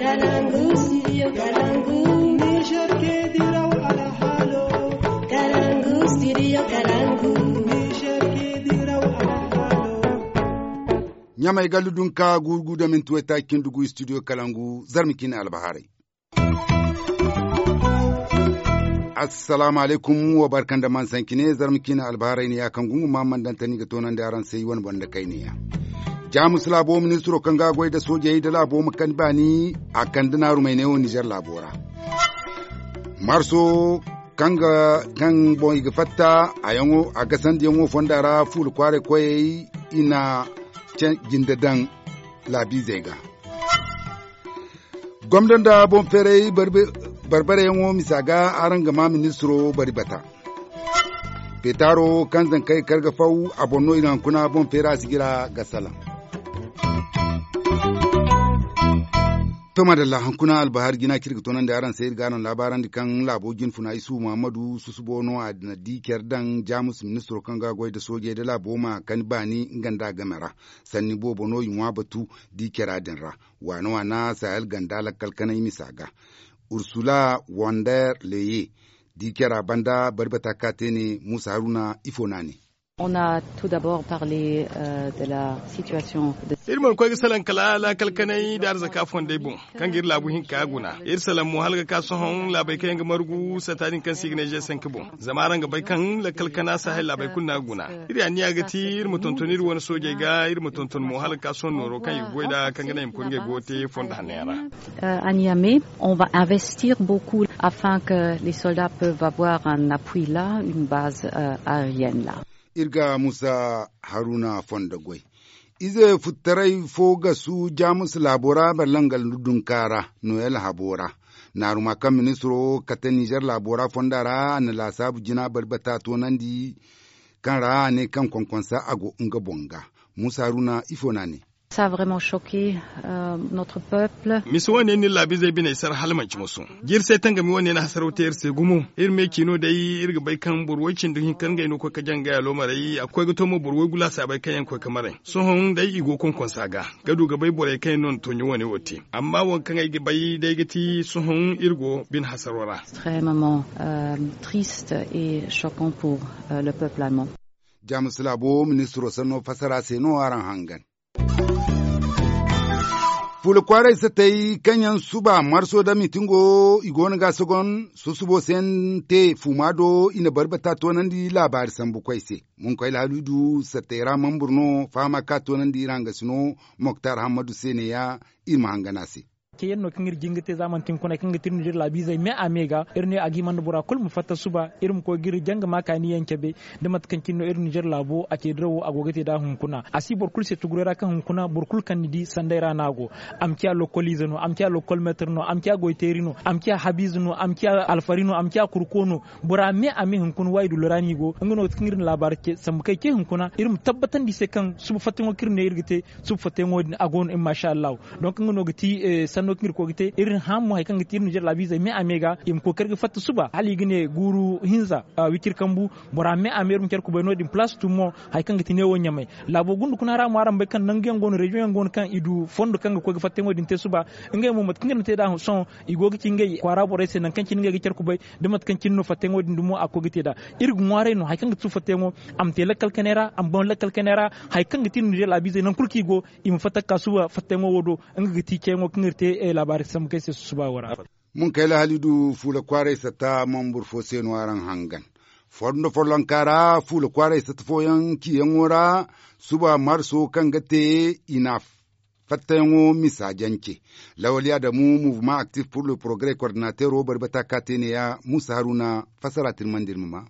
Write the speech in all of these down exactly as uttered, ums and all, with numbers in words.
Kalangu, studio Kalangu. Niger ke diraw alhalo. Kalangu, studio Kalangu. Niger ke diraw alhalo. Ɲamay gallu dunka gurgu da minti waytaaci cindi gu studio Kalangu, zarma cine albahaarey. Assalaamu alaykum, wa barka nda man sanki ne, zarma cine albahaarey ne ya kaŋ gungu ma man dantani ga toonandi araŋ se i wane banda kayne ya. Jaamus laabo ministiro kaŋ ga goy da soojey da laabo ma kani baani, a kande naarumey ne wo nizer laabo ra. Marso kaŋ ga kaŋ boŋ i ga fatta a yaŋo a gasandiyaŋo fonda ra fuula kwaaray koyey, i na jinde daŋ laabiizey ga. Gomdo nda boŋ feeray barbareyaŋo misa ga araŋ ga ma ministiro bari bata. Peetaaro kaŋ zankey kar ga faw, a boŋ no i ga hunkuna boŋ feera sijira ga salaŋ. To madalla, hunkuna albahaari jina kaŋ iri ga toonandi araŋ se, iri ga araŋ laabaarandi kaŋ laabo jinfuna isu muhammadu susubo no a na di care daŋ jaamus ministiro kaŋ ga goy nda soojey nda laabo ma kani baani nga nda a game ra. Sanni boobo no i ŋwa batu di cara din ra. Waana waana sahel ganda lakkal kanay misa ga. Ursula wander leye di cara banda bari bata ka te ne musa haruna ifo no a ne. On a tout d'abord parlé de la situation de iri mana koy ga salaŋ kala laakal kanay nda arzaka fondey boŋ, kaŋ ga iri laabu hinka guna. Iri salaŋ mo hala ga ka sohõ laabey kaŋ yaŋ ga margu sata din kaŋ se i ga ne g cinq boŋ. Zama araŋ ga bay kaŋ lakkal kana sahel laabey kulu no a ga guna. Iri anniya ga ti iri ma tonton iri wane soojey ga, iri ma tonton mo hala ga ka sohõ nooro kaŋ i ga goy nd'a kaŋ ga naŋ i ma koy ngey goyo te fondo hanno yaŋ ra. À Niamey, on va investir beaucoup afin que les soldats peuvent avoir un appui là, une base aérienne là. Iri ga musa haruna fondo goy. Ize futtaray fo gasu jaamus laabo ra barlangal dunka ra noyel habo ra. Naaruma kaŋ ministiro kate nizer laabo ra fonda ra a na laasaabu jina bari bata toonandi kaŋ ra a ne kaŋ konkonsa a go nga boŋ ga. Musa haruna ifo no a ne. Ça a vraiment choqué notre peuple. Misa wane no iri laabiizey biney sara hala manci moso. Jirsey tangami wane na hasaraw te iri se gumo. Iri me ciino day iri ga bay kaŋ boro way cindi hinka ngey no koy ga jaŋ ngey aloomarey a ga koy ga to mo boro way gulaasa bay kaŋ yaŋ koy ga maray. Sohõ day i go konkonsa ga ga du ga bay borey kaŋ yaŋ no na tonyo wane wo te. Amma waŋ kaŋ ay ga bay day ga ti sohõ iri go bine hasaro ra. Extrêmement triste et choquant pour le peuple allemand. Jaamus laabo ministiro sanno fassara se no araŋ hangan. Fuula kwaaray satey kaŋ yaŋ suba marso da mitingo i go no ga sogon susubo se yaŋ te fuuma do i na bari bata toonandi laabaari sambu koy se. Munkoy alhalidu satey ra mambur no fahama ka toonandi iri hangasino moktar hammadu se ne ya iri ma hangan a se. Ke yaŋ no kaŋ iri jin ga te za manti hunkuna kaŋ ga ti iri nizer laabiizey me a me ga iri ne a ga hima nda bora kulu ma fatta suba iri ma koy ga iri janga ma kaani yaŋ cabe. Da mate kaŋ cine no iri nizer laabo a ce dirawo a go ga te nd'a hunkuna a si boro kulu se tuguray ra kaŋ hunkuna boro kulu kaŋ ni di sanday ra no a go. A ma ciya lokoliize no a ma ciya lokolmeetir no a ma ciya goyteeri no a ma ciya habiize no a ma ciya alfari no a ma ciya kurko no. Bora me a me hunkuna waayi dullo ra no i go nga no ga ti kaŋ iri na laabaari ce sambu kaŋ ay ce hunkuna iri ma tabbatandi i se kaŋ suba fattayaŋo kaŋ iri ne iri ga te. Suba fattayaŋo din a go no in maasa allahu. Donk nga no ga ti sanno kaŋ iri koy ga te iri hã mo hari kaŋ ga ti iri nizer laabiizey me a me ga i ma kookari ga fatta suba hala i ga ne guuru hinza wiciri kambu. Bora me a me iri ma care kubay no- din palaas tummo hari kaŋ ga ti neewo ɲamay. Laabo gunda kuna ra mo araŋ bay kaŋ nangu yaŋ go no reziyoŋ yaŋ go no kaŋ i du fondo kaŋ ga koy ga fattayaŋo din te suba. Ngey mo mate kaŋ iri na te nd'a sohõ i go ga ci ngey kwaara borey se nangu kaŋ cine ngey ga care kubay. Da mate kaŋ cine no fattayaŋo din dumo a ga koy ga te nd'a. Iri ga ŋwaaray no hari kaŋ ga ti suba fattayaŋo a ma te lakkal kanay ra a ma boŋ lakkal kanay ra. Hari kaŋ ga ti iri nizer laabiizey nangu kulu kaŋ i go i ma fatta ga ka suba fattayaŋo wo do. Nga ga ti ceyaŋo kaŋ iri te laabaari sambu kaŋ ay se susuba wo ra. Munkayla halidu fuula kwaaray satta mambur fo se no araŋ hangan. Fondo follonka ra fuula kwaaray satta fooyaŋ ciyaŋo ra suba marso kaŋ ga te i na fattayaŋo misa jance. Lawali adamu mouvement actif pour le progrès coordinateero bari bata ka te ne ya musa haruna fassara tirmandi iri ma ma.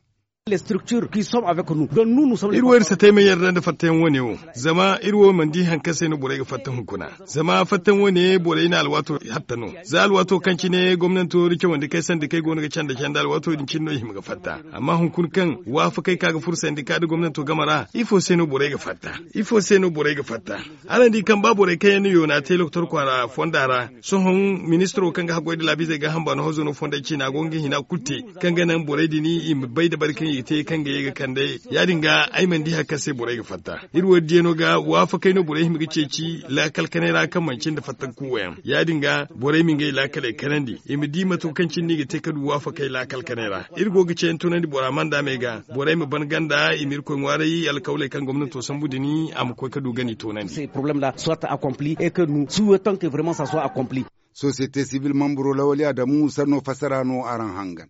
Iri wo iri si te ay ma yarda nda fattayaŋ wane wo. Zama iri wo mana di hari kaŋ se no borey ga fatta hunkuna. Zama fattayaŋ wane borey na alwaato hatta no. Za alwaato kaŋ cine gomnanto iri cawandi kay sandikey go no ga canda canda alwaato din cine no i hima ga fatta. Amma hunkuna kaŋ waafakey ka ga furo sandika nda gomnanto game ra ifo se no borey ga fatta? Ifo se no borey ga fatta? Araŋ di kaŋ ba borey kaŋ yaŋ na yoona te lokotor kwaara fonda ra. Sohõ ministiro kaŋ ga haggoy nda laabiizey ga hamba no hozo no fondey ciina go nga hina kulu te. Kaŋ ga naŋ borey din i ma bay dabari kaŋ I te kaŋ ga ye ga kande. Ya- din ga ay mana di hari kaŋ se borey ga fatta. Iri wo- din diyaŋo ga waafakey no borey hima ga ceeci laakal kanay ra kaŋ manci nda fatta ga kuuwa yaŋ. Ya- din ga borey ma ngey laakaley kanandi, i ma di mate kaŋ cine no i ga te ka du waafakey laakal kanay ra. Iri go ga ceeyaŋ toonandi bora manda me ga, borey ma ban ganda i ma irkoy ŋwaaray alkawley kaŋ gomnato sambu din, a ma koy ka du gani toonandi. Sosiyete sibil mamburo lawali adamu sanno fassara no araŋ hangan.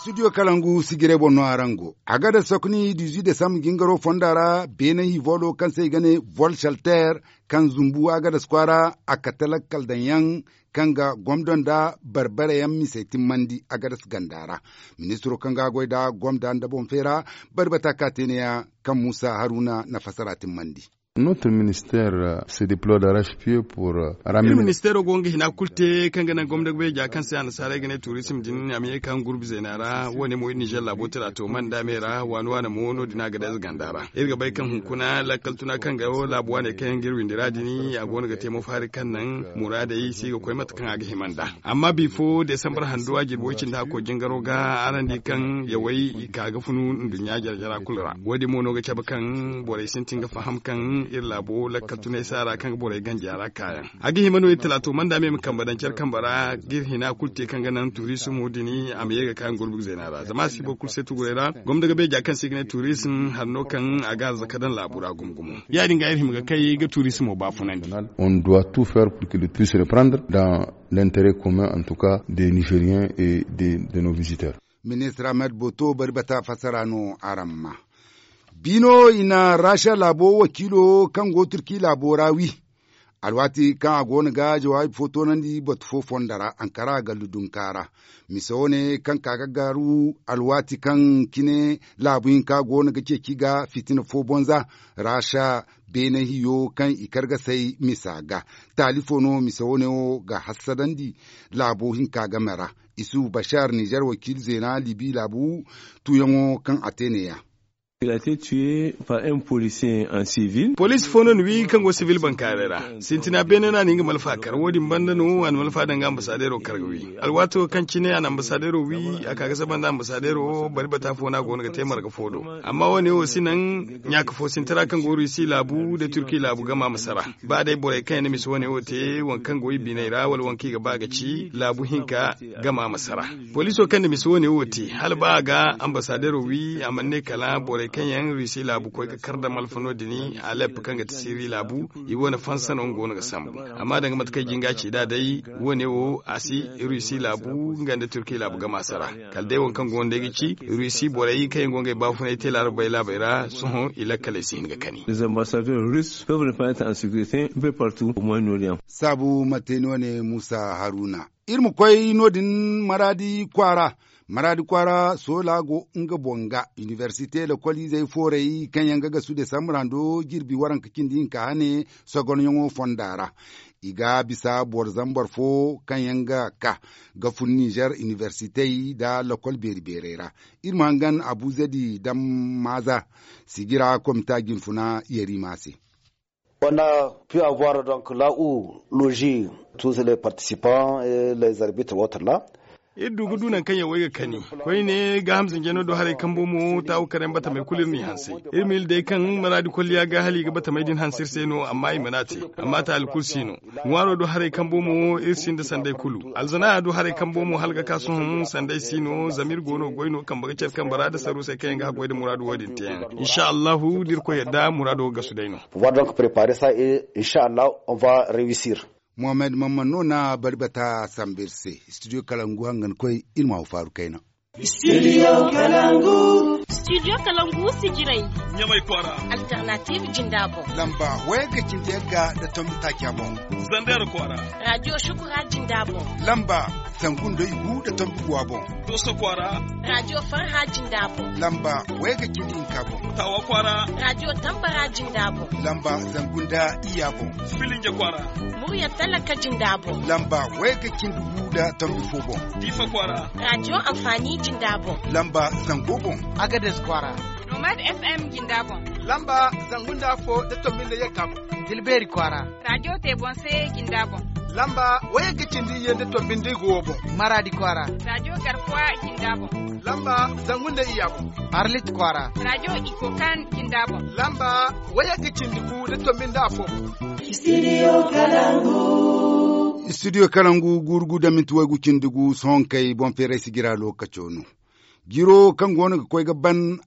Studio kalangu sijiray boŋ no araŋ go. Agadas sokoni dizu desambre jingaro fonda ra, beene hivoolo kaŋ se i ga ne vol shelter, kaŋ zumbu agadas kwaara, a kate lakkal daŋ yaŋ, kaŋ ga gomdo nda barbare yaŋ misey timmandi agadas ganda ra. Ministiro kaŋ ga a goy nda gomda nda boŋ feera, bari bata ka te neeya, kaŋ muusa haruna na fassara timmandi. Notre ministère se deplore d'arrache pied pour. Iri ministeero go nga hina kulu te kaŋ ga naŋ gomda ga bay ja kaŋ se annasaarey ga ne tuurisim din a ma ye ga ka nga gurbi zeena ra. Wo- ne mo iri nizer laabo tira to manda me ra waani waani mo no- din a ga day ize ganda ra. Iri ga bay kaŋ hunkuna lakkal tuna kaŋ ga wo laabu waaney kaŋ yaŋ ga iri windi ra din, a go no ga te mo faari kaŋ naŋ muraadey si ga koy mate kaŋ a ga hima nd'a. Amma bifo desambar hando a jirbi way cindi hakko jingaro ga araŋ di kaŋ yawey i ka ga funu nduɲɲa jare jara kulu ra. Wo- din mo no ga cabe kaŋ borey sintin ga faham kaŋ iri laabo lakkal tunay saara kaŋ ga borey ganji a ra kaayaŋ. A ga hima no iri talaato manda me ma kambe daŋ care kambe ra ga iri hina kulu te kaŋ ga naŋ turisimo din a ma ye ga ka nga gurbi zeena ra zama a si boro kulu se tuguray ra. Gomda ga beeja kaŋ se i ga ne turisim hari no kaŋ a ga arzaka daŋ laabu ra gumo gumo. Ya- din ga iri hima ga kay ga turisimo baafunandi. On doit tout faire pour que le puisse reprendre dans l'intérêt commun en tout cas des nigeriens et des nos visiteurs. Ministre ahmed boto bari bata fassara no araŋ ma. Biino i na rasha laabo wakiilo kaŋ go turki laabo ra wi. Alwaati kaŋ a go no ga jawaabi fo toonandi batu fo fonda ra ankara gallu dunka ra. Mise wo- ne kaŋ ka ga garu alwaati kaŋ cine laabu hinka go no ga ceeci ga fitina fo bonza. Rasha beene hiyo kaŋ i kar ga say misa ga. Taali fo no mise wo- ne wo ga hassadandi laabo hinka game ra. Isufu bashar nizer wakiili zeena libi laabu tuuyaŋo kaŋ a te neeya. Il a été tué par un policier en civil. Poliisi fo no ni wi kaŋ go sibil bankaaray ra. Sintina beene no a na nga malfa kar wo- din banda no a na malfa daŋ ga ambasadeero kar ga wi. Alwaato kaŋ cine a na ambasadeero wi a ka ga saba nda ambasadeero wo bari bata fo no a go no ga te marga fo do. Amma wo- ne wo si naŋ ɲaaka fo sinti ra kaŋ go rusi laabu nda turki laabu gama ma sara. Ba day borey kaŋ yaŋ na misa wo- ne wo te waŋ kaŋ go i biney ra wala waŋ kaŋ i ga ba ga ci laabu hinka gama ma sara. Poliiso kaŋ na misa wo- ne wo te hala ba a ga ambasadeero wi a mana ne kala borey kaŋ yaŋ rusi laabu koy ga kar da malfa no- din alep kaŋ ga ti siri laabu. I wane fansa no nga go no ga sambu. Amma danga mate kaŋ jinga ci nd'a day wo- ne wo a si rusi laabu nga nda turki laabu gama sara. Kala day waŋ kaŋ go no day ga ci rusi borey kaŋ yaŋ go ngey baafunay te laarabey laabey ra sohõ i lakkaley si hin ga kani. Saabu mate no- ne muusa haruna. Iri ma koy no- din maraadi kwaara. Maraadi kwaara soola go nga boŋ ga inibersite lokoliizey foorey kaŋ yaŋ ga gasu desambre hando jirbi waranka cindi hinka hane sogonyaŋo fonda ra. I ga bisa boro zambar fo kaŋ yaŋ ga ka ga fun nizer inibersitey nda lokol beeri beerey ra. Iri ma hangan abu zedi daŋ maaza sijira komita jinfuna yariima se. On a pu avoir donc là où loger tous les participants et les arbitres autres là. Iri du ga du nangu kaŋ yaŋ wo ay ga kani koyne gaaham zinjano do haray kambo mo taawu karayaŋ batamey kulu iri n'i hanse. Iri ma iri day kaŋ maraadi kolliya ga hala i ga batamey din hanse iri se no amma i mana te. Amma taali kulu si no. Ŋwaaro do haray kambo mo iri sinda sanday kulu alzanaya do haray kambo mo hala ga ka sohõ sanday si no zama iri go no goy no kambe ga care kambe ra nda saruusey kaŋ yaŋ ga haggoy nda muraadu wo- din teeyaŋ. Insa allahu da irkoy yadda muraado ga gasu day no. Pouvoir donc préparer ça et insa allahu on va réussir. Mohammed mamman no na bari bata sambu iri se. Studio kalangu hangan koy iri ma wo faaru kayna. Studio kalangu. Studio kalangu sijiray. Ɲamay kwaara. Alternative jinda boŋ. Lamba wayga cindi yagga nda tombi taaca boŋ. Zander kwaara. Radio shukura jinda boŋ. Lamba zangu nda igu nda tombi guwa boŋ. Doso kwaara. Radio farha jinda boŋ. Lamba wayga cindi hinka boŋ. Tawa kwaara. Radio tambara jinda boŋ. Lamba zangu nda iya boŋ. Filinja kwaara. Murya talaka jinda boŋ. Lamba wayga cindi gu nda tombi fo boŋ. Difa kwaara. Radio amfani jinda boŋ. Lamba zango boŋ. Agades kwaara. Nomad F M jinda boŋ. Lamba zangu nda fo nda tombi nda yagga boŋ. Tilbeeri kwaara. Raajo te boŋ se jinda boŋ. Lamba wayagga cindi iyye nda tombi nda igu wo boŋ. Maraadi kwaara. Raajo garkuwa jinda boŋ. Lamba zangu nda iyya boŋ. Arlit kwaara. Raajo iko kan jinda boŋ. Lamba wayagga cindi gu nda tombi nda afo boŋ. Studio kalangu. Studio kalangu guuru gu da minti waygu cindi gu sohonkey boŋ feeray si jira lookaco no. Jiro kaŋ go no ga koy ga ban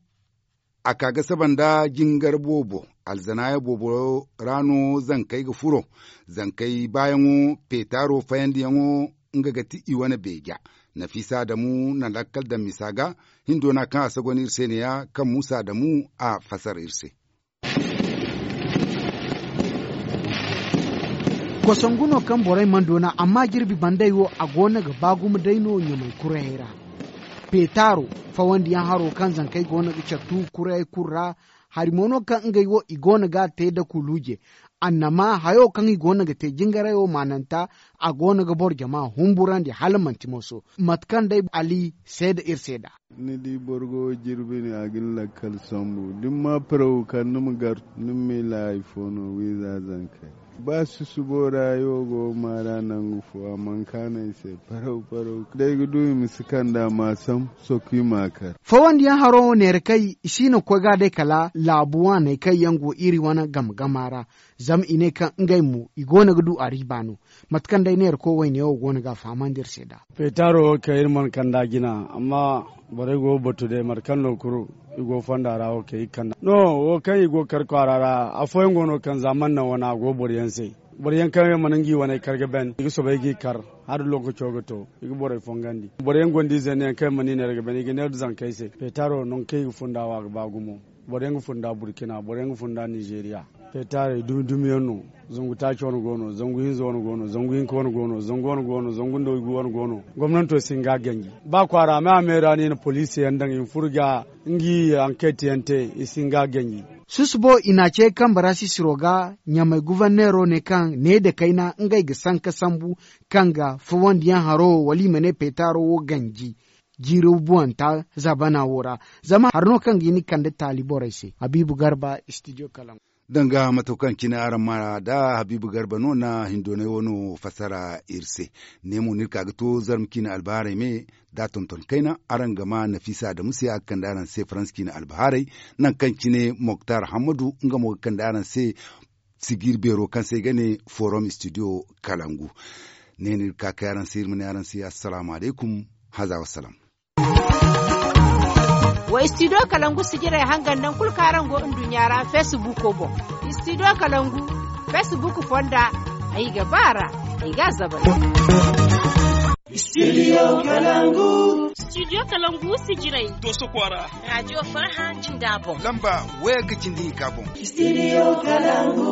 a ka ga saba nda jingar boobo. Alzanaaya boobo ra no zankey ga furo. Zankey baayaŋo peetaaro fayandiyaŋo nga ga ti i wane beeja. Nafiisa adamu na lakkal daŋ misa ga. Hindo na kaŋ a sagon iri se ne-ya kaŋ muusa adamu a fasar iri se. Kosongu no kaŋ borey mana doona amma jirbi banday wo a go no ga ba gumo day no ɲamay kurayey ra. Peetaaro fawandiyaŋ haro kaŋ zankey go no ga care tuubu kurayey kulu ra. Hari mo no kaŋ ngey wo i go no ga a te da kuluuje. Annama hayo kaŋ i go no ga te jingaray wo maananta a go no ga boro jama humburandi hala manti moso mate kaŋ day ali seeda iri seeda. Ni di boro go jirbi ni a ga ni lakkal sambu da ni ma paraw kar ni ma gar ni ma miila hari fo no wiiza zankey. Ba susubo ra hayo go maara nangu fo a mana kaanu ay se paraw paraw day ga du i ma si kand'a ma a sambu sokku i ma a kar. Fawandiyaŋ haro wo neera kay i si no ga koy ga a day kala laabu waaney kaŋ yaŋ go iri wane game gama ra. Zama i ne kaŋ ngey mo i go no ga du a riiba no. Mate kaŋ day neera koy wayne wo go no ga a fahamandi iri se nd'a. Peetaaro wo kaŋ iri mana kand'a jina amma borey go ga batu day mate kaŋ no kulu i go fonda ra wo kaŋ i ga kand'a no wo kaŋ i go ga kar kwaara ra. Afooyaŋ go no kaŋ za mana naŋ wane a go boro yaŋ se. Boro yaŋ kaŋ yaŋ mana nga i wane kar ga ban i ga soobay ga i kar hala da lookaco ga to i ga borey fongandi. Boro yaŋ gonda ize ne yaŋ kaŋ yaŋ mana i neera ga ban i ga neera zankey se peetaaro nangu kaŋ i ga funda wo a ga ba gumo. Boro yaŋ ga funda burkina boro yaŋ ga funda nizeeriya. Peetaarey dumi dumi yaŋ no. Zangu taaci wane go no zangu hinza wane go no zangu hinka wane go no zangu wane go no zangu nda waygu wane go no. Gomnanto si hin ga a ganji ba kwaara me a me ra no i na poliisi yaŋ daŋ i ma furo ga nga i ankeeti yaŋ te i si hin ga a ganji. Susubo i na a ce kambe ra sisiro ga ɲamay guverneero ne kaŋ ne nda kayna ngey ga sanka sambu kaŋ ga fawandiyaŋ haro wala i ma ne peetaaro wo ganji. Jiiri buwanta zaabana wo ra. Zama hari no kaŋ ga hin ga kande taali borey se habiibu garba studio kalaŋ. Danga mate kaŋ cine araŋ ma da habiibu garba no na hindoonay wano fassara iri se. Ne mo no iri ka ga to zarma ciine albahaarey me da a tonton kayna araŋ ga ma nafiisa adamu se a ga kande araŋ se faransa ciine albahaarey. Nangu kaŋ cine moktar hammadu nga mo ga kande araŋ se. Sijiiri beero kaŋ se i ga ne forum studio kalangu. Ne no iri ga ka kay araŋ se iri ma ne araŋ se assalaamu alaykum. Haza wassalam. Wa studio kalangu sijirey hangan nangu kulu kaŋ araŋ go nduɲɲa ra feesibuuko boŋ. Studio kalangu feesibuuko fonda ay ga ba a ra. Ay ga a zabay. Studio kalangu. Studio kalangu sijirey. Dooso kwaara. Raajiyo farhã jinda boŋ. Lamba wayagga cindi hinka boŋ. Studio kalangu.